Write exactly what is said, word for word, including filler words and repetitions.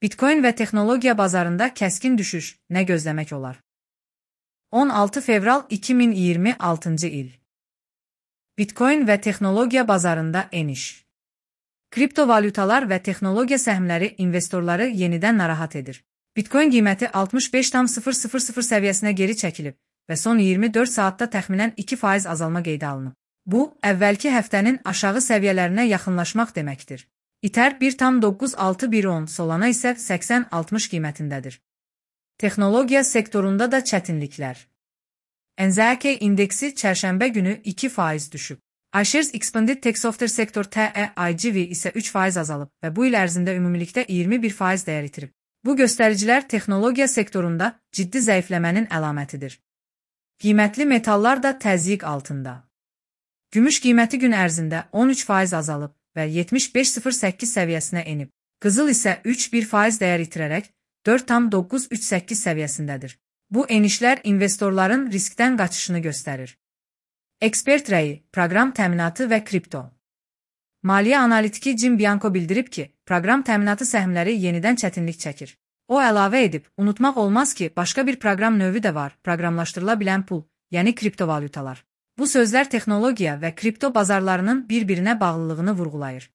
Bitcoin və texnologiya bazarında kəskin düşüş nə gözləmək olar? on altı fevral iki min iyirmi altıncı il. Bitcoin və texnologiya bazarında eniş. Kriptovalyutalar və texnologiya səhmləri investorları yenidən narahat edir. Bitcoin qiyməti altmış beş tam sıfır sıfır sıfır səviyyəsinə geri çəkilib və son iyirmi dörd saatda təxminən iki faiz azalma qeydə alınıb. Bu, əvvəlki həftənin aşağı səviyyələrinə yaxınlaşmaq deməkdir. Ether bir tam doqquz altı bir on, Solana isə səksən altmış qiymətindədir. Texnologiya sektorunda da çətinliklər. N Z K indeksi çərşənbə günü iki faiz düşüb. iShares Expanded Tech Software Sector T E I G V isə üç faiz azalıb və bu il ərzində ümumilikdə iyirmi bir faiz dəyər itirib. Bu göstəricilər texnologiya sektorunda ciddi zəifləmənin əlamətidir. Qiymətli metallar da təzyiq altında. Gümüş qiyməti gün ərzində on üç faiz azalıb və yetmiş beş sıfır səkkiz səviyyəsinə enib. Qızıl isə üç bir faiz dəyər itirərək dörd tam doqquz üç səkkiz səviyyəsindədir. Bu enişlər investorların riskdən qaçışını göstərir. Ekspert rəyi, proqram təminatı və kripto. Maliyyə analitiki Jim Bianco bildirib ki, proqram təminatı səhmləri yenidən çətinlik çəkir. O əlavə edib, unutmaq olmaz ki, başqa bir proqram növü də var, proqramlaşdırıla bilən pul, yəni kriptovalyutalar. Bu sözlər texnologiya və kripto bazarlarının bir-birinə bağlılığını vurğulayır.